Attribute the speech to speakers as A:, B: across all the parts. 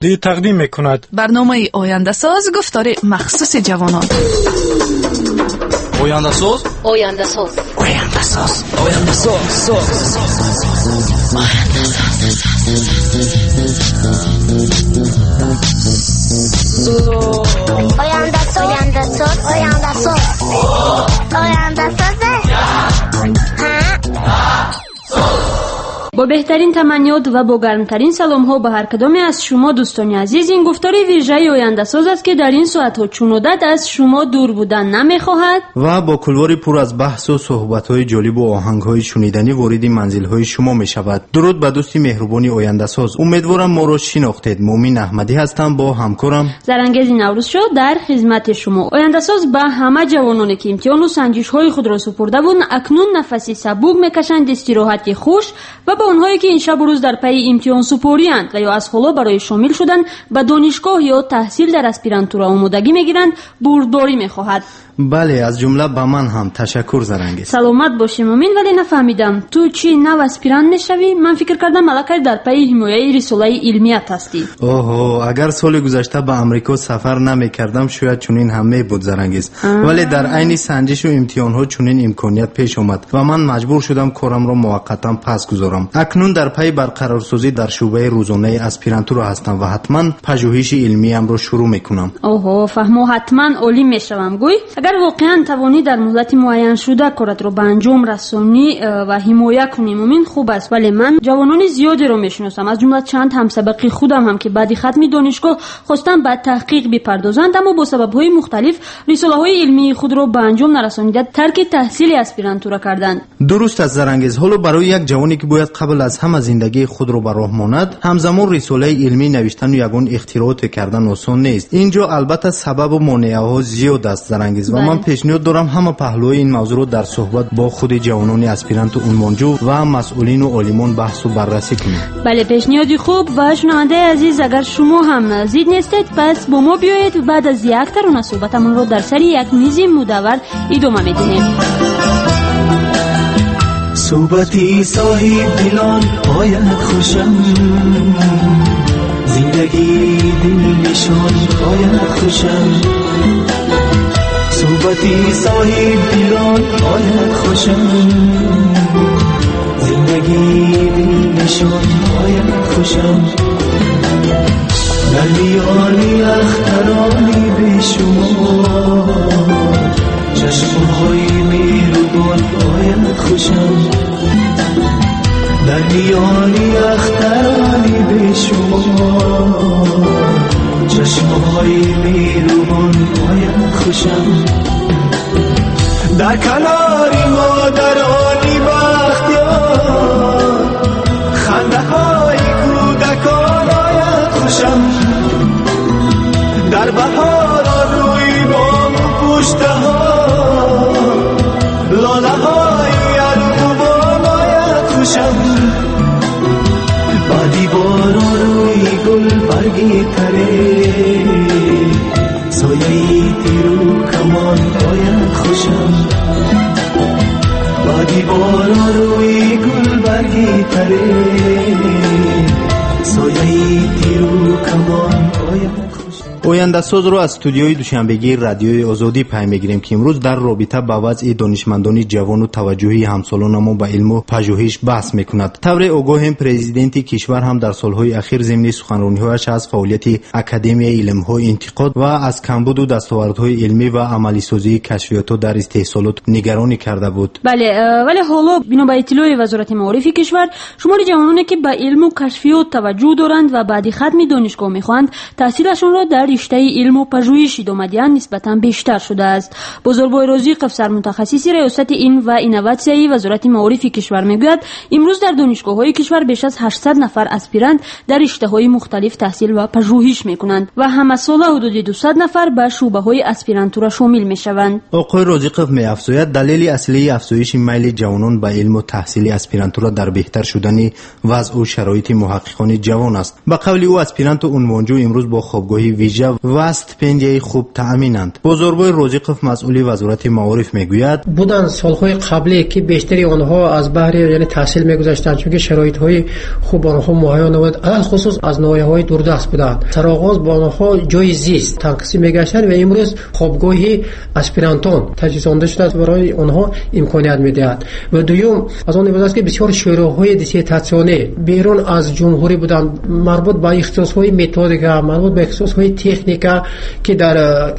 A: Тақдим мекунад.
B: Барномаи Ояндасоз, гуфтори махсуси ҷавонон.
C: Ояндасоз.
D: Ояндасоз.
C: Ояндасоз. Ояндасоз. Соз.
E: Ояндасоз. Ояндасоз. Ояндасоз. Ояндасоз.
F: Бо беҳтарин таманниёт ва бо гармтарин саломҳо ба ҳар кадоме аз шумо, дӯстони азиз, ин гуфтори вижаи Ояндасоз аст, ки дар ин соатҳо чун одат аз шумо дур будан намехоҳад
G: ва бо кулвори пур аз баҳсу суҳбатҳои ҷолибу оҳангҳои шуниданӣ вориди манзилҳои шумо мешавад. Дуруд ба дӯсти меҳрубони Ояндасоз. Умедворам, моро шинохтед. Муъмин Аҳмадӣ ҳастам, бо ҳамкорам
F: Зарангези Наврӯзшо дар хизмати шумо. Ояндасоз ба ҳама ҷавононе, ки имтиҳону санҷишҳои худро супурда буд, акнун нафаси сабук мекашанд, истироҳати хуш, ва ба онҳое, ки ин шабу рӯз дар пайи имтиҳонсупорианд ва ё аз ҳоло барои шомил шудан ба донишгоҳ ё таҳсил дар аспирантура омодагӣ мегиранд, бурдборӣ мехоҳад.
G: Бале, аз ҷумла ба ман ҳам. Ташаккур, Зарангез.
F: Саломат бошӣ, Мумин. Вале нафаҳмидам, ту чӣ нав аспирант мешавӣ? Ман фикр кардам, аллакай дар пайи ҳимояи рисолаи илмият ҳастӣ.
G: Оҳо, агар соли гузашта ба Амрико сафар намекардам, шояд чунин ҳам мебуд, Зарангез. Вале дар айни санҷишу имтиҳонҳо чунин имконият пеш омад ва ман маҷбур шудам корамро муваққатан пас гузорам. Акнун дар пайи барқарорсозӣ дар шӯъбаи рӯзонаи аспирантура ҳастам ва ҳатман пажӯҳиши илмиямро шурӯъ мекунам.
F: Оҳо, фаҳмо, ҳатман олим мешавам, гӯй. Агар воқеан тавонӣ дар муҳлати муайяншуда коратро ба анҷом расонӣ ва ҳимоя кунӣ, Мумин, хуб аст. Вале ман ҷавонони зиёдеро мешиносам, аз ҷумла чанд ҳамсабақи худам ҳам, ки баъди хатми донишгоҳ хостанд ба таҳқиқ бипардозанд, аммо бо сабабҳои мухталиф рисолаҳои илмии худро ба анҷом нарасонида, тарки таҳсили аспирантура карданд.
G: Дуруст аст, Зарангез. Ҳоло барои як ҷавоне, ки бояд қабл аз ҳама зиндагии худро ба роҳ монад, ҳамзамон рисолаи илмӣ навиштану ягон ихтирооте кардан осон нест. Ин ҷо албатта сабабу монеаҳо зиёд аст, Зарангез, ва ман пешниҳод дорам ҳама паҳлӯи ин мавзӯъро дар суҳбат бо худи ҷавонони аспиранту унвонҷӯ ва масъулину олимон баҳсу баррасӣ кунем.
F: Бале, пешниҳоди хуб. Ва шунавандаи азиз, агар шумо ҳам зид нестед, пас бо мо биёед, баъд аз як тарона суҳбатамонро дар сари як мизи мудаввар идома медиҳем.
H: Суҳбати соҳибдилон ояд хушам, зиндагии дилнишон ояд хушам. Суҳбати соҳибдилон ояд хушам, зиндагии дилнишон ояд хушам. Дар миёни ахтарони бешумор чашмҳои меҳрубон ояд хушам. Дар миёни ахтарони бешумор чашмҳои меҳрубон ояд хушам. Дар канори модарони бахтиёр хандаҳои кӯдакон ояд хушам. Дар баҳорон рӯи бому пуштаҳо лолаҳои арғувон ояд хушам. Баъди борон рӯи гулбарги таре сояи тиру камон ояд хушам. Баъди борон рӯи гулбарги таре сояи тиру камон ояд хушам.
G: Ояндасозро аз студиои душанбегии Радиои Озодӣ пай мегирем, ки имрӯз дар робита ба вазъи донишмандони ҷавону таваҷҷӯҳи ҳамсолонамон ба илму пажӯҳиш баҳс мекунад. Тавре огоҳем, президенти кишвар ҳам дар солҳои ахир зимни суханрониҳояш аз фаъолияти Академияи илмҳо интиқод ва аз камбуду дастовардҳои илмӣ ва амалисозии кашфиётҳо дар истеҳсолот нигаронӣ карда буд.
F: Бале, вале ҳоло бино ба иттилои Вазорати маорифи кишвар, шумори ҷавононе, ки ба илму кашфиёт таваҷҷӯҳ доранд ва баъди хатми донишгоҳ мехоҳанд таҳсилашонро дар риштаи илму пажӯҳиш идома диҳанд, нисбатан бештар шудааст. Бозорбой Розиқов, сармутахассиси раёсати илм ва инноватсияи Вазорати маорифи кишвар, мегӯяд, имрӯз дар донишгоҳҳои кишвар беш аз 800 нафар аспирант дар риштаҳои мухталиф таҳсил ва пажӯҳиш мекунанд ва ҳамасола ҳудуди 200 нафар ба шӯъбаҳои аспирантура шомил мешаванд.
G: Оқои Розиқов меафзояд, далели аслии афзоиши майли ҷавонон ба илму таҳсили аспирантура дар беҳтар шудани вазъу шароити муҳаққиқони ҷавон аст. Ба қавли ӯ, аспиранту унвонҷӯ имрӯз бо хобгоҳи вижа вижа ва стипендияи хуб таъминанд. Бозорбой Розиқов, масъули Вазорати маориф, мегӯяд:
A: буданд солҳои қаблӣ, ки бештари онҳо аз баҳри, яъне, таҳсил мегузаштанд, чунки шароитҳои хуб онҳо муҳайё набуд, алалхусус аз ноҳияҳои дурдаст буданд. Сароғоз ба онҳо ҷои зист танқисӣ мегаштанд ва имрӯз хобгоҳи аспирантон таҷҳизонда шудааст, барои онҳо имконият медиҳад. Ва дуюм аз он иборат аст, ки бисёр шӯроҳои диссертатсионӣ берун аз ҷумҳурӣ буданд, марбут ба ихтисосҳои методика, марбут ба ихтисосҳои техника, ки дар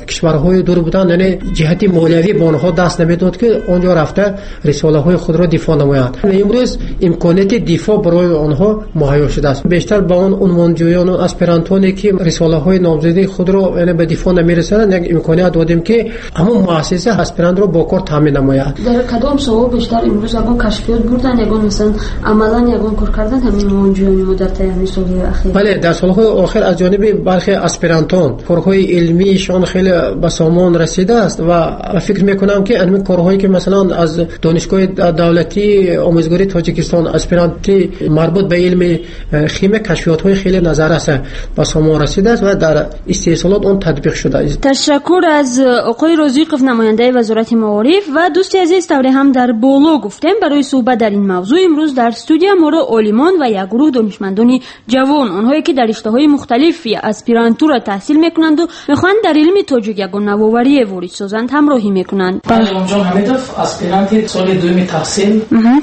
A: кишварҳои дур буданд, яъне ҷиҳати молиявӣ ба онҳо даст намедод, ки он ҷо рафта рисолаҳои худро дифоъ намоянд. Ва имрӯз имконияти дифоъ барои онҳо муҳайё шудааст. Бештар ба он унвонҷӯёну аспирантоне, ки рисолаҳои номзадии худро, яъне, ба дифоъ намерасонанд, як имконият додем, ки ҳамон муассиса аспирантро бо кор таъмин намояд.
F: Дар кадом соҳа бештар имрӯз ягон кашфиёт бурданд, ягон, масалан, амалан ягон кор карданд ҳамин унвонҷӯёни мо дар таи ҳамин солҳои ахир?
A: Бале, дар солҳои охир аз ҷониби бархе аспирантон корҳои илмиишон хеле ба сомон расидааст ва фикр мекунам, ки ҳамин корҳое, ки масалан аз Донишгоҳи давлатии омӯзгории Тоҷикистон аспиранти марбут ба илми химия кашфиётҳои хеле назаррас ба сомон расидааст ва дар истеҳсолот он татбиқ шудааст.
F: Ташаккур аз оқои Розиқов, намояндаи Вазорати маориф. Ва дӯсти азиз, тавре ҳам дар боло гуфтем, барои суҳбат дар ин мавзӯъ имрӯз дар студия моро олимон ва як гурӯҳ донишмандони ҷавон, онҳое ки дар риштаҳои мухталифи аспирантура таҳсил мекунанду мехоҳанд дар илми тоҷик ягон навоварие ворид созанд, ҳамроҳӣ мекунанд.
D: Иломҷон Ҳамидов, аспиранти соли дуюми таҳсил.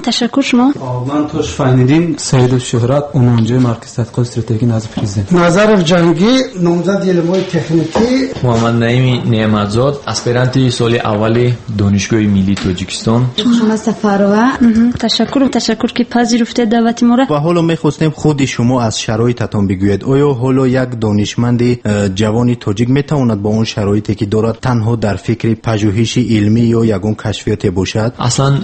F: Ташаккур. Шумо?
I: Ман Тошев Айниддин, Саидов Шӯҳрат, унвонҷӯи Маркази тадқиқоти стратегӣ назди Президент.
J: Назаров Ҷангӣ, номзади илмҳои техникӣ.
K: Муҳаммад Наими Неъматзод, аспиранти соли аввали Донишгоҳи миллии Тоҷикистон.
L: Муҳаммад Сафарова.
F: Ташаккур, ташаккур, ки пазируфтед даъвати моро.
G: Ва ҳоло мехостем худи шумо аз шароитатон бигӯед. Оё ҳоло як донишманди ҷавони тоҷик метавонад бо он шароите, ки дорад, танҳо дар фикри пажӯҳиши илмӣ ё ягон кашфиёте бошад?
K: Аслан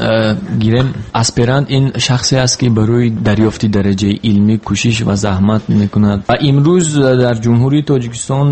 K: гирем, аспирант ин шахсе аст, ки барои дарёфти дараҷаи илмӣ кӯшиш ва заҳмат мекунад. Ва имрӯз дар Ҷумҳурии Тоҷикистон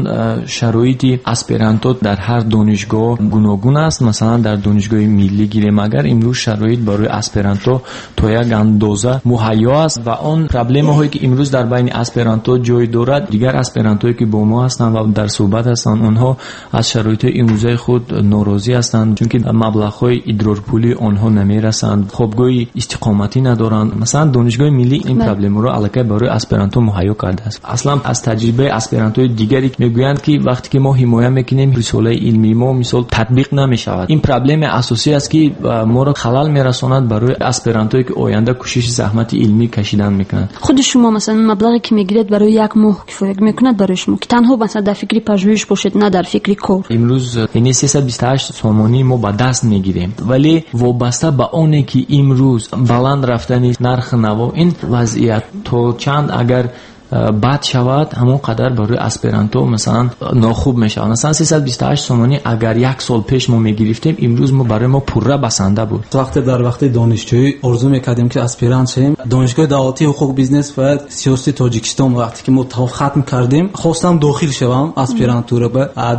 K: шароити аспирантот дар ҳар донишгоҳ гуногун аст. Масалан, дар Донишгоҳи миллӣ гирем агар, имрӯз шароит барои аспирантҳо то як андоза муҳайё аст ва он проблемаҳое, ки имрӯз дар байни аспирантҳо ҷой дорад, дигар аспирантҳое, ки бо мо ҳастанд ва дар суҳбат ҳастанд, онҳо аз шароитҳои имрӯзаи худ норозӣ ҳастанд, чунки маблағҳои идрорпулии онҳо намерасанд, хобгоҳи истиқоматӣ надоранд. Масалан, Донишгоҳи миллӣ ин проблемаро аллакай барои аспирантҳо муҳайё кардааст. Аслан аз таҷрибаи аспирантҳои дигаре мегӯянд, ки вақте ки мо ҳимоя мекунем, рисолаи илмии мо, мисол, татбиқ намешавад. Ин проблемаи асосӣ аст, ки моро халал мерасонад барои аспирантҳое, ки оянда кӯшиши заҳмати илмӣ кашидан мекунанд.
F: Худи шумо, масалан, маблағе, ки мегиред, барои як моҳ кифоя мекунад барои шумо, ки танҳо, масалан, дар фикри пажӯҳиш бошед, на дар фикри кор?
K: Имрӯз, яъне, 328 сомонӣ мо ба даст мегирем, вале вобаста ба оне, ки имрӯз баланд рафтани нархи наво, ин вазъият то чанд агар бад шавад, ҳамон қадар барои аспирантҳо, масалан, нохуб мешавад. Масалан, 328 сомонӣ агар як сол пеш мо мегирифтем, имрӯз мо барои мо пурра басанда буд.
I: Вақте дар вақти донишҷӯӣ орзу мекардем, ки аспирант шавем, Донишгоҳи давлатии ҳуқуқ, бизнес ва сиёсати Тоҷикистон вақте ки мо хатм кардем, хостам дохил шавам аспирантура.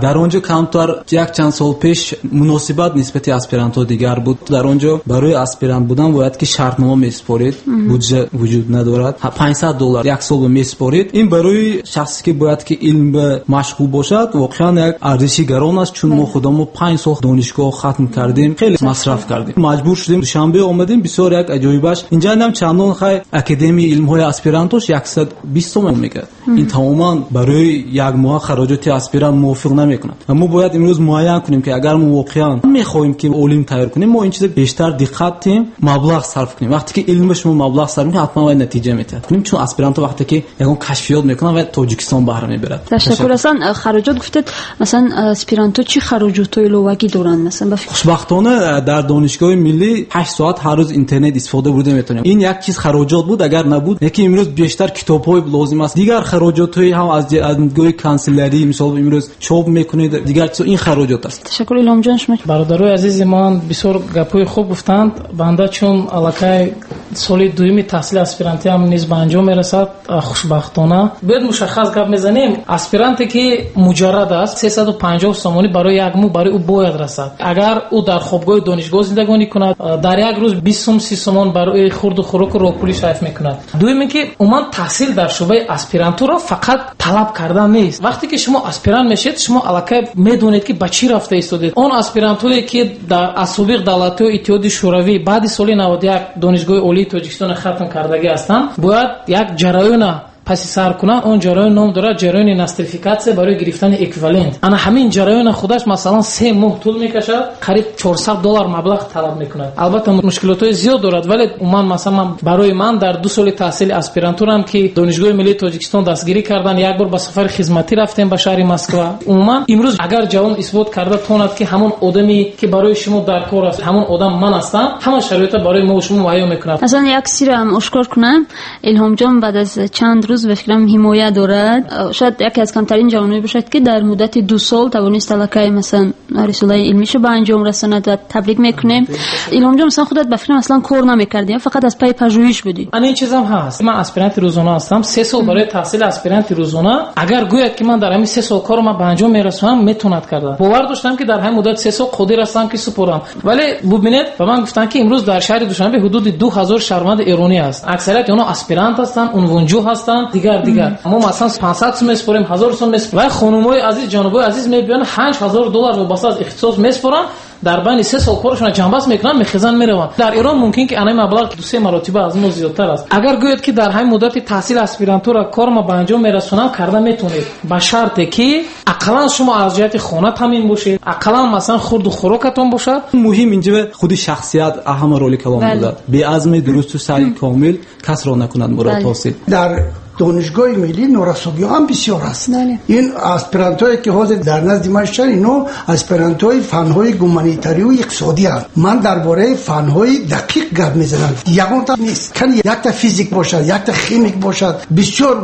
I: Дар он ҷо камтар як чанд сол пеш муносибат нисбати аспирантҳо дигар буд. Дар он ҷо барои аспирант будан бояд ки шартнома месупоред, буҷа вуҷуд надорад, 500 доллар як сол месупоред. Ин барои шахсе, ки бояд ки илм ба машғул бошад, воқеан як арзиши гарон аст, чун мо худамо 5 сол донишгоҳ хатм кардем, хеле масраф кардем, маҷбур шудем, Душанбе омадем. Бисёр як аҷоибаш, инҷа ҳам чандон хай Академияи илмҳои аспирантош 120 сомон мекард. Ин тамоман барои як моҳ хароҷоти аспирант мувофиқ намекунад. Ва мо бояд имрӯз муайян кунем, ки агар мо воқеан мехоҳем, ки олим тайёр кунем, мо ин чиза бештар диққат диҳем, маблағ сарф кунем. Вақте ки илми шумо маблағ сарф мекунед, ҳатман вай натиҷа метиҳад, чун аспирантҳо вақте ки ягон кашфиёт мекунанд, ва Тоҷикистон баҳра мебарад.
F: Ташаккур. Аслан хароҷот гуфтед, масалан, аспирантҳо чӣ хароҷотҳои иловагӣ доранд, масалан?
I: Хушбахтона, дар Донишгоҳи миллӣ 8 соат ҳар рӯз интернет истифода бурда метавонем. Ин як чиз хароҷот буд, агар набуд. Лекин имрӯз бештар китобҳои лозим аст, дигар хароҷотҳои ҳам аз нигоҳи канселярӣ, мисол, имрӯз чоп мекунед, дигар чиз, ин хароҷот аст.
F: Ташаккур. Иломҷон, шумо?
D: Бародарои азизи ман бисёр гапҳои хуб гуфтанд. Банда чун аллакай Соли дуюми таҳсили аспирантиам низ ба анҷом мерасад, хушбахтона. Бояд мушаххас гап мезанем, аспиранте ки муҷаррад аст, 350 сомонӣ барои як моҳ барои ӯ бояд расад. Агар ӯ дар хобгоҳи донишгоҳ зиндагонӣ кунад, дар як рӯз 20 сум, 30 сомон барои хурду хӯроку роҳпулӣ сарф мекунад. Дуюм ин ки умуман таҳсил дар шӯъбаи аспирантура фақат талаб кардан нест. Вақте ки шумо аспирант мешед, шумо аллакай медонед ки ба чӣ рафта истодед. Он аспирантҳое ки дар аз собиқ давлатҳои Иттиҳоди Шӯравӣ баъди соли 91 Донишгоҳи Олии Тоҷикистонро хатм кардагӣ ҳастанд, бояд як ҷараёна паси сар кунанд. Он ҷараён ном дорад ҷараёни нострификатсия барои гирифтани эквивалент. Ана ҳамин ҷараёна худаш масалан 3 моҳ тӯл мекашад, қариб $400 маблағ талаб мекунад. Албатта мушкилотҳои зиёд дорад, вале умуман масалан барои ман дар 2 соли таҳсили аспирантурам ки Донишгоҳи Миллии Тоҷикистон дастгирӣ кардан, як бор ба сафари хизматӣ рафтем ба шаҳри Москва. Умуман имрӯз агар ҷавон исбот карда тонад ки ҳамон одаме ки барои шумо дар кор аст, ҳамон одам ман ҳастам, ҳама шароитро барои мо шумо муҳайё мекунад.
F: Аслан як сирам ошкор кунам, Илҳомҷон баъд аз чанд рӯз ба фикрам ҳимоя дорад. Шояд яке аз камтарин ҷавононе бошад ки дар муддати 2 сол тавонист аллакай масалан рисолаи илмиашро ба анҷом расонад ва табрик мекунем. Илҳомҷон, масалан худат ба фикрам аслан кор намекардӣ, фақат аз пайи пажӯҳиш будӣ.
D: Ана ин чизам ҳаст. Ман аспиранти рӯзона ҳастам. 3 сол барои таҳсили аспиранти рӯзона. Агар гӯяд ки ман дар ҳамин 3 сол корро ман ба анҷом мерасонам, метавонад карда. Бовар доштам ки дар ҳамин муддати 3 сол қодир ҳастам ки супорам. Вале бубинед, ба ман гуфтанд ки имрӯз дар шаҳри Душанбе ҳудуди 2000 шаҳрванди эронӣ аст. Аксарияти онҳо аспирант ҳастанд, унвонҷӯ ҳастанд, дигар. Мо масалан 500 сум месупорем, 1000 сум месупорем. Ва хонумои азиз, ҷанобои азиз мебиёнд $8000 вобаста аз ихтисос месупоранд, дар байни 3 сол корашонро ҷанбаст мекунанд, мехезанд, мераванд. Дар Эрон мумкин ки анаи маблағ 2-3 маротиба аз мо зиёдтар аст. Агар гӯяд ки дар ҳамин муддати таҳсили аспирантура кор ма ба анҷом мерасонам, карда метавонед, ба шарте ки ақаллан шумо аз ҷиҳати хона таъмин бошед, ақаллан масалан хурду хӯрокатон бошад.
I: Муҳим инҷо худи шахсият аҳама роли калон буда. Беазми дурусту саъи комил касро накунад мурод ҳосил.
J: Дар донишгоҳи миллӣ норасогиҳо ҳам бисёр аст. Ин аспирантҳое ки ҳозир дар назди ман шудан, инҳо аспирантҳои фанҳои гуманитарию иқтисодӣ ҳаст. Ман дар бораи фанҳои дақиқ гап мезанам. Ягонта нест. Кани якта физик бошад, якта химик бошад, бисёр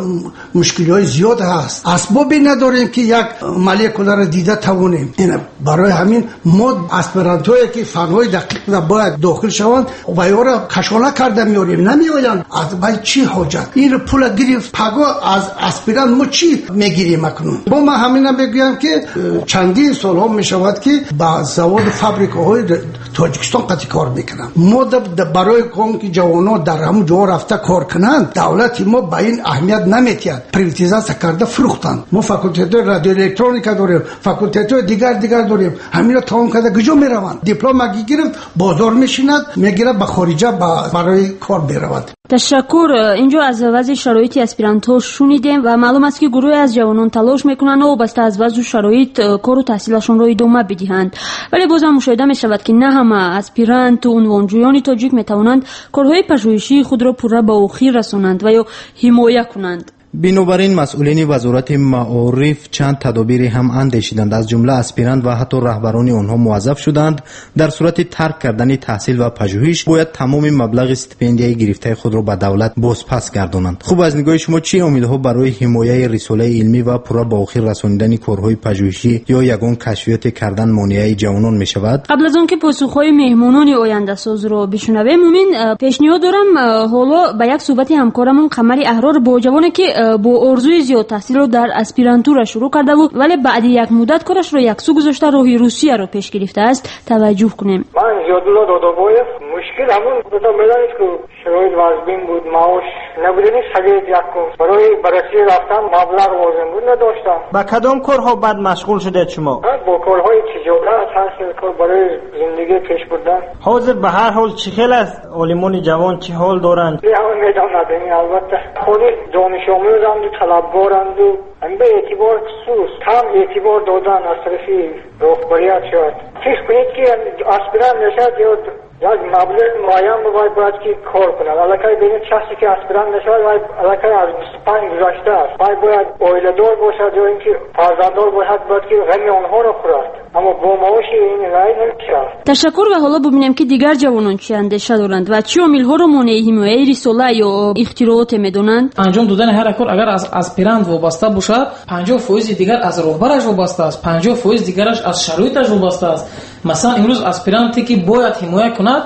J: мушкилиҳои зиёд ҳаст. Асбобе надорем ки як молекуларо дида тавонем. Барои ҳамин мо аспирантҳое ки фанҳои дақиқ бояд дохил шаванд, ва ёро кашола карда меорем, намеоянд. Аз бай чӣ ҳоҷат? Ин пула гирифт, паго аз аспирант мо чӣ мегирем акнун? Бо ман ҳамина мегӯям ки чандин солҳо мешавад ки ба заводу фабрикаҳои Тоҷикистон қатъи кор мекунанд. Мо барои он ки ҷавонон дар ҳамон ҷо рафта кор кунанд, давлати мо ба ин аҳамият наметиҳад. Приватизатсия карда фурӯхтанд. Мо факултетҳои радиоэлектроника дорем, факултетҳои дигар дорем. Ҳамино тамом карда куҷо мераванд? Диплома гирифт, бозор мешинад, мегирад ба хориҷа барои кор меравад.
F: Ташаккур. Инҷо аз вазъи шароити аспирантҳо шунидем ва маълум аст ки гурӯҳе аз ҷавонон талош мекунанд вобаста аз вазъу шароит кору таҳсилашонро идома бидиҳанд. Вале бозам мушоҳида мешавад ки на ҳама аспиранту унвонҷӯёни тоҷик метавонанд корҳои пажӯҳишии худро пурра ба охир расонанд ва ё ҳимоя кунанд.
G: Бинобар ин масъулини вазорати маориф чанд тадобире ҳам андешиданд. Аз ҷумла аспирант ва ҳатто раҳбарони онҳо муваззаф шуданд дар сурати тарк кардани таҳсил ва пажӯҳиш бояд тамоми маблағи стипендияи гирифтаи худро ба давлат бозпас гардонанд. Хуб, аз нигоҳи шумо чӣ омилҳо барои ҳимояи рисолаи илмӣ ва пурра ба охир расонидани корҳои пажӯҳишӣ ё ягон кашфиёте кардан монеаи ҷавонон мешавад?
F: Қабл аз он ки посухҳои меҳмонони ояндасозро бишунавем, Мумин, пешниҳод дорам ҳоло ба як суҳбати ҳамкорамон Қамари Аҳрор бо ҷавоне ки бо орзуи зиёд таҳсилро дар аспирантура шурӯъ кардаву вале баъди як муддат корашро яксӯ гузошта роҳи Русияро пеш гирифтааст, таваҷҷӯҳ кунем.
L: Ман Зиёдулло Додобоев. Мушкил ҳамон буд, медонед ки шароит вазбин буд, маош набудани савет якум. Барои ба Россия рафтан маблағ лозим буд, надоштам.
M: Ба кадом корҳо баъд машғул шудед шумо?
L: Бо корҳои тиҷорат, ҳар хел кор барои зиндагӣ пеш бурдан.
M: Ҳозир ба ҳар ҳол чӣ хел аст? Олимони ҷавон чӣ ҳол доранд?
L: Ҳама медонад, албатта. Худи донишомӯзанду талабгоранду ба эътибор сус кам эътибор додан аз тарафи роҳбарият шояд. Фикр кунед ки аспирант мешавад ё як маблағи муайян бояд ки кор кунад. Аллакай бинед шахсе ки аспирант мешавад, вай аллакай аз 25 гузаштааст. Вай бояд оиладор бошад ё ин ки фарзанддор бошад, бояд ки ғами онҳоро хӯрад. Аммо бо маоши ин рай намешавад.
F: Ташаккур. Ва ҳоло бубинем ки дигар ҷавонон чӣ андеша доранд ва чӣ омилҳоро монеи ҳимояи рисола ё ихтирооте медонанд.
D: Анҷом додани ҳар кор агар аз аспирант вобаста бошад, 50% дигар аз роҳбараш вобаста аст, 50% дигараш аз шароиташ вобаста аст. Масалан, имрӯз аспиранте ки бояд ҳимоя кунад,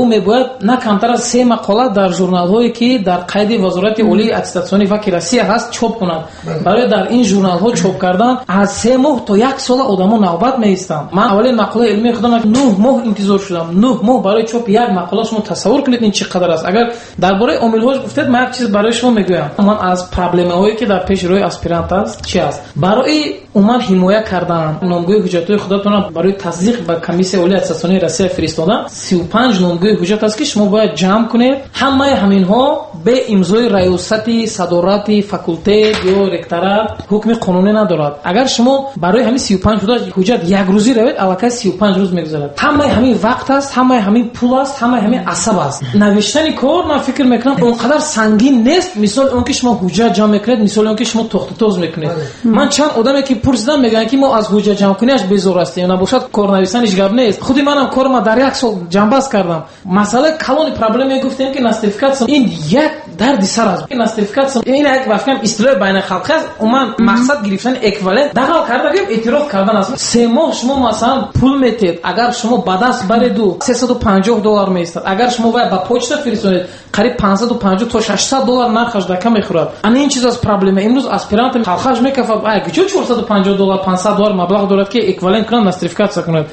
D: ӯ мебояд на камтар аз 3 мақола дар журналҳое ки дар қайди Вазорати олии аттестатсионии ваки Россия ҳаст чоп кунад. Барои дар ин журналҳо чоп кардан аз 3 моҳ то 1 сола одамо навбат меистанд. Ман аввалин мақолаи илмии худам 9 моҳ интизор шудам. 9 моҳ барои чоп як мақола. Шумо тасаввур кунед ин чӣ қадар аст. Агар дар бораи омилҳош гуфтед, ман як чиз барои шумо мегӯям. Ман аз проблемаҳое ки дар пеши рӯи аспирант аст чи аст? Барои умуман ҳимоя кардан номгӯи ҳуҷҷатҳои худатонро барои тасдиқ ба Комиссияи олии аттестатсионии Россия фиристодан 35 номгӯи ҳуҷҷат аст ки шумо бояд ҷамъ кунед. Ҳамаи ҳаминҳо бе имзои раёсати садорати факултет ё ректорат ҳукми қонунӣ надорад. Агар шумо барои ҳамин 35 ҳуҷҷат як рӯзӣ равед, аллакай 35 рӯз мегузарад. Ҳамаи ҳамин вақт аст, ҳамаи ҳамин пул аст, ҳамаи ҳамин асаб аст. Навиштани кор ман фикр мекунам он қадар сангин нест, мисоли он ки шумо ҳуҷҷат ҷамъ мекунед, мисоли он ки шумо тохтутоз мекунед. Ман чанд одаме ки пурсидам, мегӯянд ки мо аз ҳуҷҷат ҷамъкуниаш безор ҳастем, набошад корнависаниш гап нест. Худи манам корма дар як сол ҷамъбаст кардам. Масъалаи калони проблеме гуфтем ки нострификатсия ин як дарди сар аст. Нострификатсия ин як вафкам истилоҳи байналхалқӣ аст. Умуман мақсад гирифтани эквивалент дағал карда гӯем эътироф кардан аст. 3 моҳ шумо масалан пул метед, агар шумо ба даст бареду $350 меистад. Агар шумо вай ба почта фиристонед, қариб 550 то $600 нархаш дака мехӯрад. Ана ин чиз аз проблема. Имрӯз аспирант халқаш мекафад, ай куҷо $450 $500 маблағ дорад ки эквивалент кунад, нострификатсия кунад.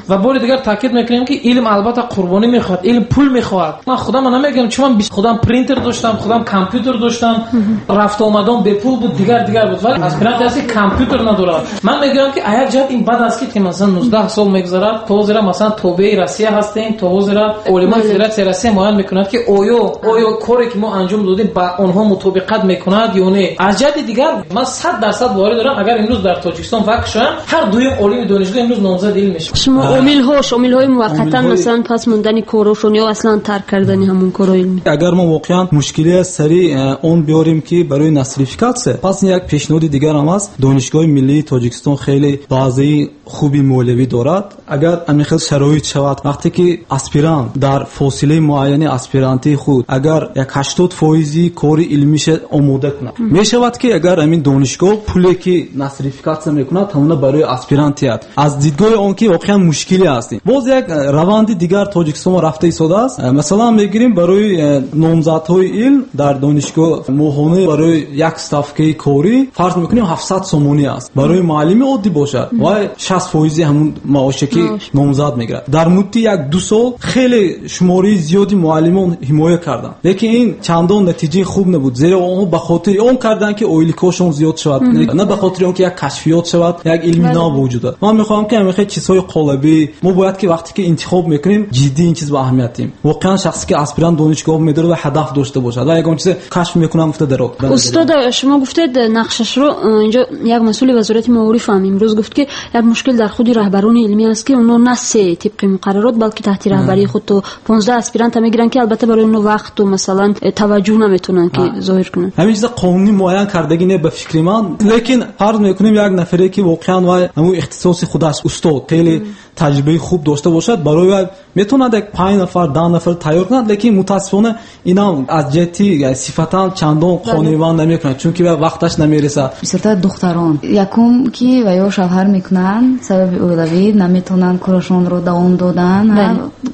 D: Ва бори дигар таъкид мекунем ки илм албатта қурбонӣ мехоҳад, илм пул мехоҳад. Ман худам намегӯям, чун ман худам принтер доштам, худам компютер доштам, рафту омадам бепул буд, дигар буд. Вале аспирант аст ки компютер надорад. Ман мегӯям ки як ҷиҳат ин бад аст ки масалан 19 сол мегузарад, то ҳозира масалан тобеи Россия ҳастем, то ҳозира олимони Федератсияи Россия муайян мекунад ки оё коре ки мо анҷом додем ба онҳо мутобиқат мекунад ё не. Аз ҷиҳати дигар ман 100% боварӣ дорам, агар имрӯз дар Тоҷикистон вақт шавам, ҳар дуюм олими донишгоҳ имрӯз номзади илм мешавад.
F: Шумо омилҳои муваққатан масалан пас мондани корҳошон ё аслан тарк кардани ҳамон корҳои илмӣ.
I: Агар мо воқеан мушкиле сари он биёрем ки барои нострификатсия, пас як пешниҳоди дигар ҳам аст. Донишгоҳи миллии Тоҷикистон хеле баъзеи хуби молиявӣ дорад. Агар ҳамин хел шароит шавад, вақте ки аспирант дар фосилаи муайяни аспирантии худ агар як 80% кори илмиша омода кунад, мешавад ки агар ҳамин донишгоҳ пуле ки нострификатсия мекунад, ҳамона барои аспирант диҳад. Аз дидгоҳи он ки воқеан мушкиле аст. Боз як раванди дигар Тоҷикистон рафта истодааст. Масалан мегирем барои номзадҳои илм дар донишгоҳ моҳона барои як ставкаи корӣ фарз мекунем 700 сомонӣ аст. Барои муаллими оддӣ бошад, вай 60% ҳамун маоше ки номзад мегирад. Дар муддати 1-2 сол хеле шумораи зиёди муаллимон ҳимоя карданд, лекин ин чандон натиҷаи хуб набуд, зеро онҳо ба хотири он карданд ки оиликҳошон зиёд шавад, на ба хотири он ки як кашфиёт шавад, як илми нав ба вуҷуд ояд. Ман мехоҳам ки ҳамин хел чизҳои қолабӣ мо бояд ки вақте ки интихоб мекунем ҷиддӣ ин чиз ба аҳамият диҳем. Воқеан шахсе ки аспирант донишгоҳ медорад ва ҳадаф дошта бошад ва ягон чизе кашф мекунам гуфта дарод.
F: Устод, шумо гуфтед нақшашро инҷо як масъули вазорати маориф ҳам имрӯз гуфт ки як мушкил дар худи раҳбарони илмӣ аст ки онҳо на се тибқи муқаррарот, балки таҳти раҳбарии худ то 15 аспиранта мегиранд ки албатта барои онҳо вақту масалан таваҷҷӯҳ наметавонанд ки зоҳир кунанд.
I: Ҳамин чиза қонунӣ муайян кардагӣ не ба фикри ман, лекин фарз мекунем як нафаре ки воқеан вай ҳамун ихтисоси худаш устод хеле таҷрибаи хуб дошта бошад, барои вай метавонад як 5 нафар 10 нафар тайёр кунад, лекин мутаассифона инам аз ҷиҳати сифатан чандон қонеъманд намекунад, чунки вай вақташ намерасад.
N: Бисёртар духтарон якум ки ва ё шавҳар мекунанд, сабаби оилавӣ наметавонанд корашонро давом додан,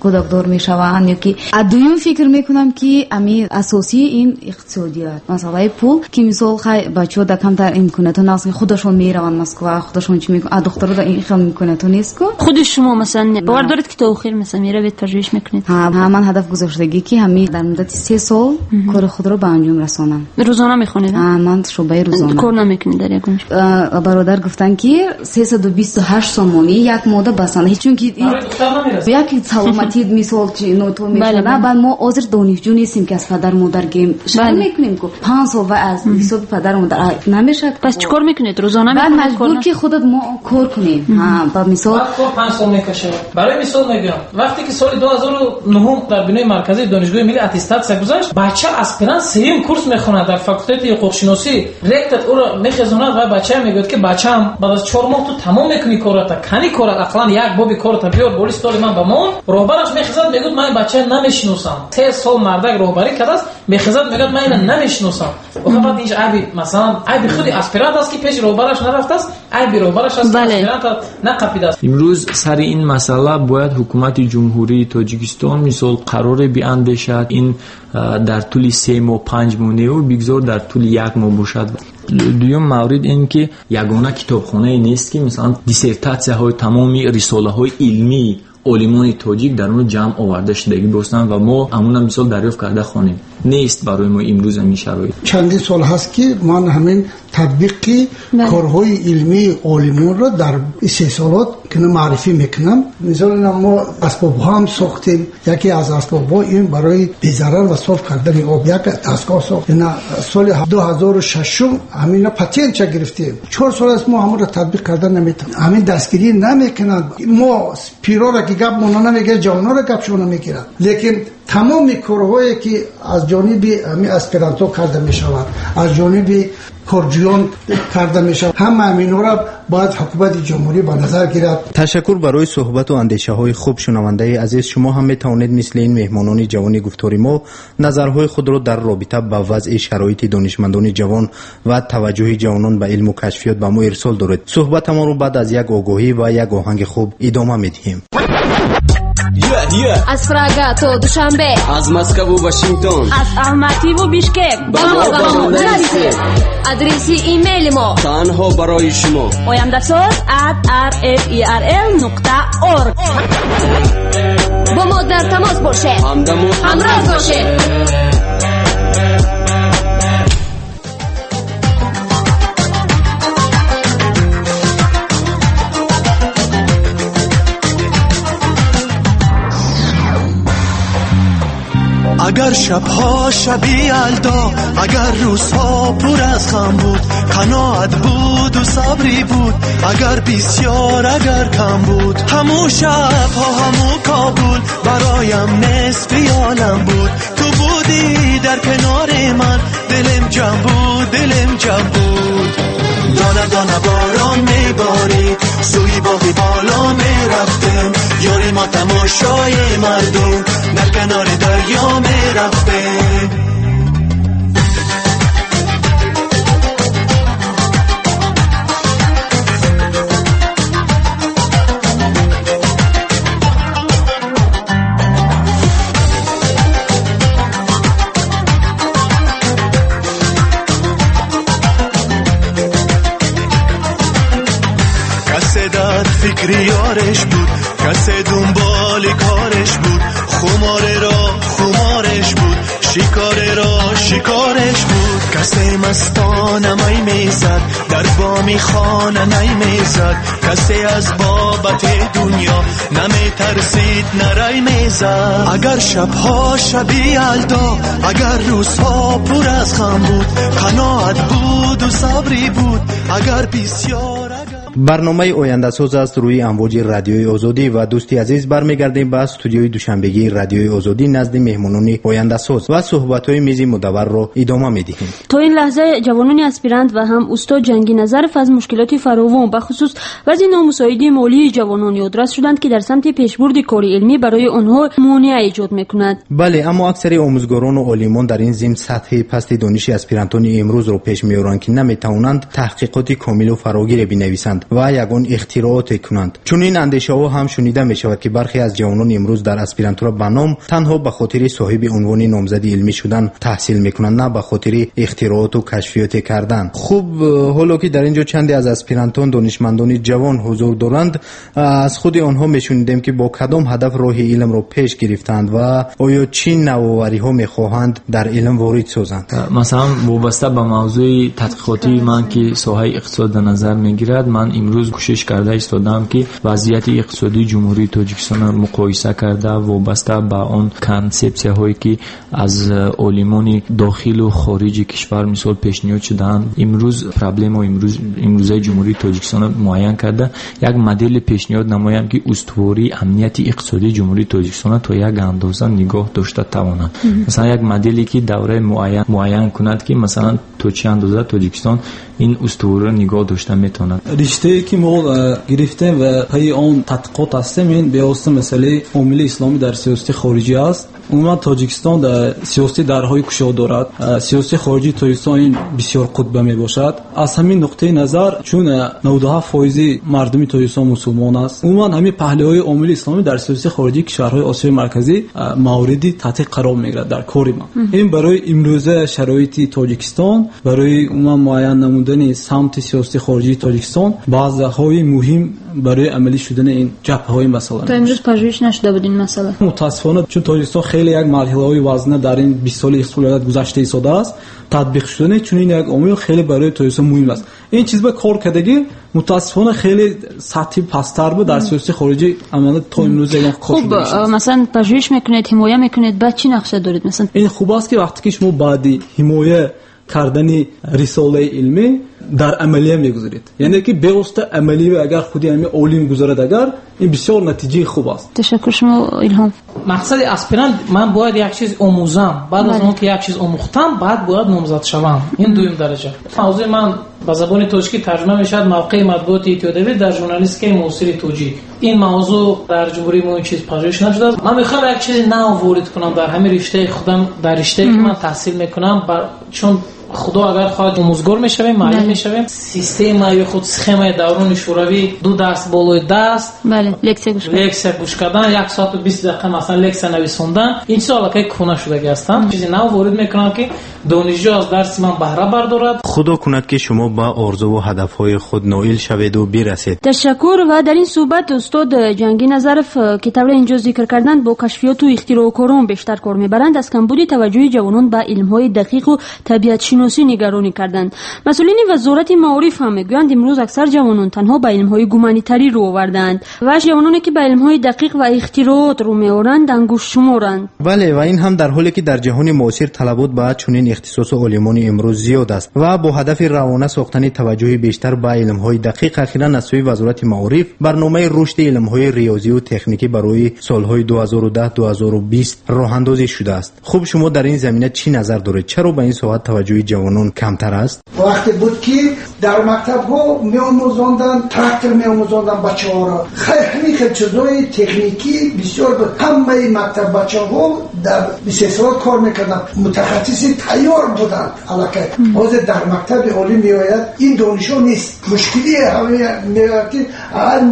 N: кӯдакдор мешаванд ё ки дуюм фикр мекунам ки ами асосии ин иқтисодият, масъалаи пул, ки мисол хай бачаҳо да камтар имкониятҳо наст, худашон мераванд Москва, худашон чӣ мекунанд, духтаро да ин хел имкониятҳо нест ку.
F: Худи шумо масалан бовар доред ки то охир масалан меравед пажӯҳиш мекунед?
N: Ҳа, ман ҳадаф гузоштагӣ ки ҳамин дар муддати 3 сол кори худро ба анҷом расонам.
F: Рӯзона мехонед?
N: Ҳа, ман шӯъбаи рӯзона.
F: Кор намекунед дар ягон ҷо?
N: Бародар гуфтанд ки 328 сомонӣ як мода басанда, чунки як саломатӣ мисол нотол мешавад. Баъд мо ҳозир донишҷӯ нестем ки аз падар модар гем шар мекунем ку 5 сол ва аз ҳисоби падар модар намешавад.
F: Пас чӣ кор мекунед? Рӯзона мехонед?
N: Маҷбур ки худат мо кор кунем. Ҳа, ба мисол
D: кор 5 сол мекашад. Барои мисол мегӯям, вақте ки соли 2009 дар бинои марказии донишгоҳи миллӣ аттестатсия гузашт, бача аспирант сеюм курс мехонад дар факултети ҳуқуқшиносӣ. Ректор ӯро мехезонад ва бача мегӯяд ки бачаам баъд аз 4 моҳ ту тамом мекунӣ кората, кани корат, ақаллан як боби кората биёр боли столи ман ба мон. Роҳбараш мехезад мегӯяд ман бача намешиносам. 3 сол мардак роҳбарӣ кардааст, мехезад мегӯяд ман ина намешиносам. Охир баъд инҷа айби масалан айби худи аспирант аст ки пеши роҳбараш нарафтааст, айби роҳбараш аст ки аспирант нақапидааст.
K: Имрӯз Сари ин масъала бояд ҳукумати Ҷумҳурии Тоҷикистон мисол қароре биандешад. Ин дар тӯли 3 моҳ, 5 моҳ неву бигзор дар тӯли 1 моҳ бошад. Дуюм маврид ин ки ягона китобхонае нест ки масалан диссертатсияҳои тамоми рисолаҳои илмии олимони тоҷик дар он ҷамъ оварда шудагӣ бошанд ва мо ҳамона мисол дарёфт карда хонем. Нест барои мо имрӯз ҳамин шароит.
J: Чандин сол ҳаст ки ман ҳамин татбиқи корҳои илмии олимонро дар истеҳсолот маърифӣ мекунам. Мисол мо асбобҳо ҳам сохтем. Яке аз асбобҳо ин барои безарар ва соф кардани об як дастгоҳ сохт. Соли 2006 ҳамина патентча гирифтем. 4 сол аст мо ҳамонро татбиқ карда наметавонем. Ҳамин дастгирӣ намекунанд. Мо пирора ки гап мона намегирад, ҷавонора гапшона намегирад. Лекин тамоми корҳое ки аз ҷониби ҳамин аспирантҳо карда мешавад, аз ҷониби корҷӯён карда мешавад, ҳама ҳаминҳоро бояд ҳукумати ҷумҳурӣ ба назар гирад.
G: Ташаккур барои суҳбату андешаҳои хуб, шунавандаи азиз. Шумо ҳам метавонед мисли ин меҳмонони ҷавони гуфтори мо назарҳои худро дар робита ба вазъи шароити донишмандони ҷавон ва таваҷҷӯҳи ҷавонон ба илму кашфиёт ба мо ирсол доред. Суҳбатамонро баъд аз як огоҳӣ ва як оҳанги хуб идома медиҳем.
O: Аз Прага то Душанбе,
P: аз Москву Вашингтон,
F: аз Алмативу Бишкек
P: ба мо нависед.
O: Адреси имейли мо
P: танҳо барои шумо:
F: ояндаsoz@rferl.org.
O: Бо мо дар тамос бошед,
P: ҳамдаму
O: ҳамроз бошед.
H: Агар шабҳо шаби ялдо, агар рӯзҳо пур аз ғам буд, қаноат буд ва сабрӣ буд, агар бисёр агар кам буд, ҳамун шабҳо ҳамун Кобул бароям нисфи олам буд. Ту будӣ дар канори ман, дилам ҷам буд, дилам ҷам буд. Дона дона борон меборид, сӯи боғи боло мерафтем, ёри мо тамошои мардум дар канори дарё мерафтем. فکری یارش بود، کس دنبال کارش بود، خماره را خمارش بود، شکاره را شکارش بود. کس مستانه می میزد، در بامی خانه نمی زد، کسی از بابت دنیا نمی ترسید نرای میزد. اگر شبها شبی یلدا، اگر روزها پر از غم بود، قناعت بود و صبری بود، اگر بسیار.
G: Барномаи ояндасоз аст рӯи амвоҷи радиои Озодӣ ва дӯсти азиз, бармегардем ба студиои душанбегии радиои Озодӣ назди меҳмонони ояндасоз ва суҳбатҳои мизи мудавварро идома медиҳем.
F: То ин лаҳза ҷавонони аспирант ва ҳам устод Ҷангӣ Назаров аз мушкилоти фаровон, бахусус вазъи номусоиди молии ҷавонон ёдрас шуданд, ки дар самти пешбурди кори илмӣ барои онҳо монеа эҷод мекунад.
G: Бале, аммо аксари омӯзгорону олимон дар ин зимн сатҳи пасти дониши аспирантони имрӯзро пеш меоранд, ки наметавонанд таҳқиқоти комилу фарогире бинависанд ва ягон ихтирооте кунанд. Чунин андешаҳо ҳам шунида мешавад, ки бархе аз ҷавонони имрӯз дар аспирантура ба ном танҳо ба хотири соҳиби унвони номзади илмӣ шудан таҳсил мекунанд, на ба хотири ихтирооту кашфиёте кардан. Хуб, ҳоло ки дар ин ҷо чанде аз аспирантон донишмандони ҷавон ҳузур доранд, аз худи онҳо мешунидем, ки бо кадом ҳадаф роҳи илмро пеш гирифтанд ва оё чӣ навовариҳо мехоҳанд дар илм ворид созанд.
K: Масалан, вобаста ба мавзӯи тадқиқотии ман, ки соҳаи иқтисод дар назар мегирад, ман имрӯз кӯшиш карда истодаам, ки вазъияти иқтисодии Ҷумҳурии Тоҷикистонро муқоиса карда, вобаста ба он консепсияҳое, ки аз олимони дохилу хориҷи кишвар мисол пешниҳод шудаанд, имрӯз проблемаи имрӯзаи Ҷумҳурии Тоҷикистонро муайян карда, як модели пешниҳод намоям, ки устувории амнияти иқтисодии Ҷумҳурии Тоҷикистонро то як андоза нигоҳ дошта тавонад. Масалан, як моделе, ки давраи муайян кунад, ки масалан То чӣ андоза Тоҷикистон ин устувориро нигоҳ дошта метавонад?
I: Риштае ки мо гирифтем ва пайи он тадқиқот ҳастем, ин бевосита масъалаи омили исломӣ дар сиёсати хориҷӣ аст. Умуман Тоҷикистон дар сиёсати дарҳои кушод дорад. Сиёсати хориҷии Тоҷикистон ин бисёр қутба мебошад. Аз ҳамин нуқтаи назар, чун 97% мардуми Тоҷикистон мусулмон аст, умуман ҳамин паҳлӯҳои омили исломӣ дар сиёсати хориҷии кишварҳои Осиёи Марказӣ мавриди тадқиқ қарор мегирад дар кори ма. Ин барои имрӯза шароити Тоҷикистон, барои умуман муайян намудани самти сиёсати хориҷии Тоҷикистон баъзеҳои муҳим барои амалӣ шудани ин ҷабҳаҳои масъала.
F: То имрӯз пажӯҳиш нашуда буд ин масъала?
I: Мутаассифона, чун Тоҷикистон хеле як марҳилаҳои вазнина дар ин 20 соли истиқлолият гузашта истодааст, татбиқ шудани чунин як омил хеле барои Тоҷикистон муҳим аст. Ин чиз ба кор кардагӣ мутаассифона хеле сатҳи пасттар буд дар сиёсати хориҷӣ амалан то имрӯз ягон кор
F: шуда нест. Хуб, масалан пажӯҳиш мекунед, ҳимоя мекунед, баъд чӣ нақша доред масалан?
I: Ин хуб аст ки вақте ки шумо баъди ҳимоя кардани рисолаи илмӣ дар амалия мегузаред, яъне ки бевосита амалия агар худи ҳамин олим гузарад, агар ин бисёр натиҷаи хуб аст.
F: Ташаккур. Шумо Илҳом?
D: Мақсади аспирант ман бояд як чиз омӯзам, баъд аз он ки як чиз омӯхтам, баъд бояд номзад шавам. Ин дуюм дараҷа. Мавзӯи ман ба забони тоҷикӣ тарҷума мешавад мавқеи матбуоти иттиҳодиявӣ дар журналистикаи муосири тоҷик. Ин мавзӯъ дар ҷумҳурии мо ин чиз пажӯҳиш нашудааст. Ман мехоҳам як чизи нав ворид кунам дар ҳамин риштаи худам, дар риштае ки ман таҳсил мекунам, чун худо агар хоҳад омӯзгор мешавем, муаллим мешавем. Система ё худ схемаи даврони шӯравӣ, ду даст болои даст, лексия гӯш кардан, 1 соату 20 дақиқа масалан лексия нависондан, ин чизҳо аллакай кӯҳна шудагӣ ҳастанд. Чизи нав ворид мекунам ки донишҷӯ аз дарси ман баҳра бардорад.
G: Худо кунад ки шумо ба орзуву ҳадафҳои худ ноил шаведу бирасед.
F: Ташаккур. Ва дар ин суҳбат устод Ҷангӣ Назаров, ки тавре инҷо зикр карданд, бо кашфиёту ихтироъкорон бештар кор мебаранд, аз камбуди таваҷҷӯҳи ҷавонон ба илмҳои дақиқу табиатшиносӣ нигаронӣ карданд. Масъулини вазорати маориф ҳам мегӯянд, имрӯз аксар ҷавонон танҳо ба илмҳои гуманитарӣ рӯ овардаанд ва ҷавононе ки ба илмҳои дақиқ ва ихтироот рӯ меоранд ангуштшуморанд.
G: Бале, ва ин ҳам дар ҳоле ки дар ҷаҳони муосир талабот ба чунин ихтисосу олимони имрӯз зиёд аст ва бо ҳадафи равона сохтани таваҷҷӯҳи бештар ба илмҳои дақиқ ахиран аз сӯи вазорати маориф барномаи рушди илмҳои риёзию техникӣ барои солҳои 2010-2020 роҳандозӣ шудааст. Хуб, шумо дар ин замина чӣ назар доред? Чаро ба ин соҳа таваҷҷӯҳи ҷавонон камтар аст?
J: Вақте буд ки дар мактабҳо меомӯзонданд, трактор меомӯзонданд бачаҳоро. Хайр, ҳамин хел чизҳои техникӣ бисёр буд. Ҳамаи мактаббачаҳо дар истеҳсолот кор мекарданд, мутахассиси тайёр буданд аллакай. Ҳозир дар мактаби олӣ меояд ин донишҳо нест. Мушкилие меояд ки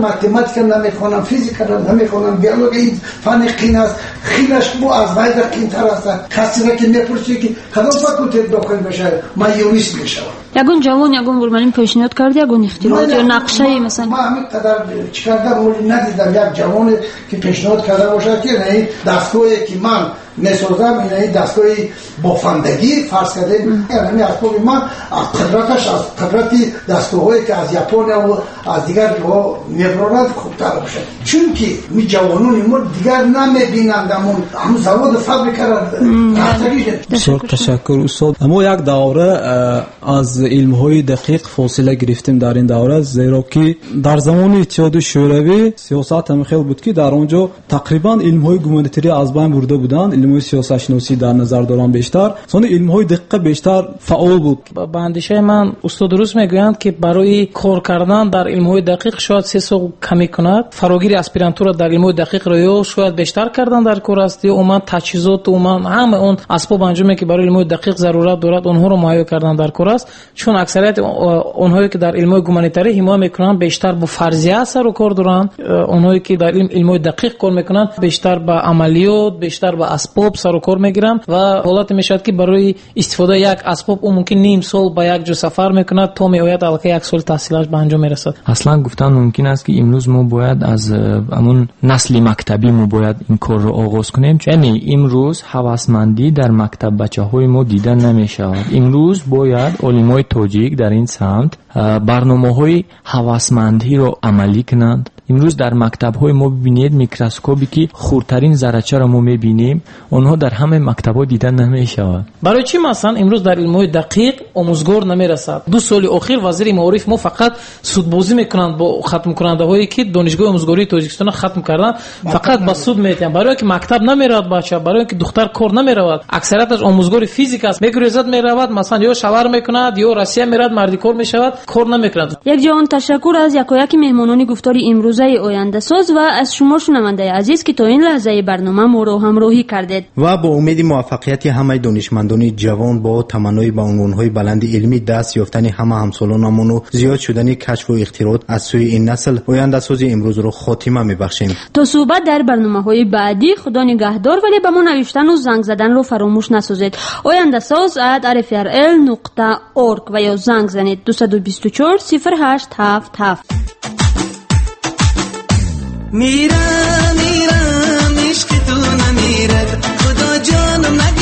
J: математика намехонам, физикаро намехонам, биология ин фани қин аст, хинаш бо аз вайда қинтар аст. Касеро ки мепурсӣ ки кадом факултет дохил мешавад, ман юрист мешавам.
F: Ягон ҷавон ягон бурмалин пешниҳод кард, ягон ихтироот ё нақшаи масалан?
J: Ман ҳамин қадар чӣ кардам, оли надидам як ҷавоне ки пешниҳод карда бошад ки ин дастгоҳе ки ман месозам, ин дастгоҳи бофандагӣ фарз кардем, ҳамин асбоби ман аз қудраташ, аз қудрати дастгоҳҳое ки аз Япония ва аз дигар ҷоҳо мебарорад хубтар бошад. Чунки ми ҷавонони мо дигар намебинанд ҳамон заводу фабрикаро рафтагӣ.
I: Бисёр ташаккур устод. Мо як давра аз илмҳои дақиқ фосила гирифтем дар ин давра, зеро ки дар замони Иттиҳоди Шӯравӣ сиёсат ҳамин хел буд ки дар он ҷо тақрибан илмҳои гуманитарӣ аз байн бурда буданд, илмҳои сиёсатшиносӣ дар назар дорам бештар, сони илмҳои дақиқа бештар фаъол буд.
D: Ба андешаи ман устод дуруст мегӯянд ки барои кор кардан дар илмҳои дақиқ шояд 3 сол камӣ кунад, фарогири аспирантура дар илмҳои дақиқро ё шояд бештар кардан дар кор аст, ё умуман таҷҳизот, умуман ҳама он асбоб анҷоме ки барои илмҳои дақиқ зарурат дорад онҳоро муҳайё кардан дар кор аст. Чун аксарияти онҳое ки дар илмҳои гуманитарӣ ҳимоя мекунанд бештар бо фарзия сару кор доранд, онҳое ки дар илмҳои дақиқ кор мекунанд бештар ба амалиёт, бештар ба асбоб сару кор мегиранд ва ҳолате мешавад ки барои истифодаи як асбоб ӯ мумкин ним сол ба як ҷо сафар мекунад то меояд аллакай як соли таҳсилаш ба анҷом мерасад.
K: Аслан гуфтан мумкин аст ки имрӯз мо бояд аз ҳамон насли мактабӣ мо бояд ин корро оғоз кунем. Яъне имрӯз ҳавасмандӣ дар мактаббачаҳои мо дида намешавад. Имрӯз бояд олимои тоҷик дар ин самт барномаҳои ҳавасмандиро амалӣ кунанд. Имрӯз дар мактабҳои мо бибинед, микроскопе ки хурдтарин заррачаро мо мебинем, онҳо дар ҳамаи мактабҳо дида намешавад.
D: Барои чӣ масалан имрӯз дар илмҳои дақиқ омӯзгор намерасад? 2 соли охир вазири маориф мо фақат судбозӣ мекунанд бо хатмкунандаҳое ки донишгоҳи омӯзгории Тоҷикистонро хатм карданд, фақат ба суд метиҳанд. Барои ки мактаб намеравад бача, барои ки духтар кор намеравад. Аксарияташ омӯзгори физика аст, мегурезад меравад, масалан ё шавар мекунад, ё Россия меравад, мардикор мешавад, кор намекунад.
F: Як ҷаҳон ташаккур аз якояки меҳмонони гуфтори имрӯзаи ояндасоз ва аз шумо шунавандаи азиз, ки то ин лаҳзаи барнома моро ҳамроҳӣ кардед.
G: Ва бо умеди муваффақияти ҳамаи донишмандони ҷавон, бо таманнои ба унвонҳои баланди илмӣ даст ёфтани ҳама ҳамсолонамону зиёд шудани кашфу ихтироот аз сӯи ин насл, ояндасози имрӯзро хотима мебахшем.
F: То суҳбат дар барномаҳои баъдӣ, худо нигаҳдор, вале ба мо навиштану занг заданро фаромӯш насозед. Ояндасоз@rfrl.org ва ё занг занед 224 08 77.
H: Мирам, мирам, ишқи ту намирад, Худо ҷонам нагирад.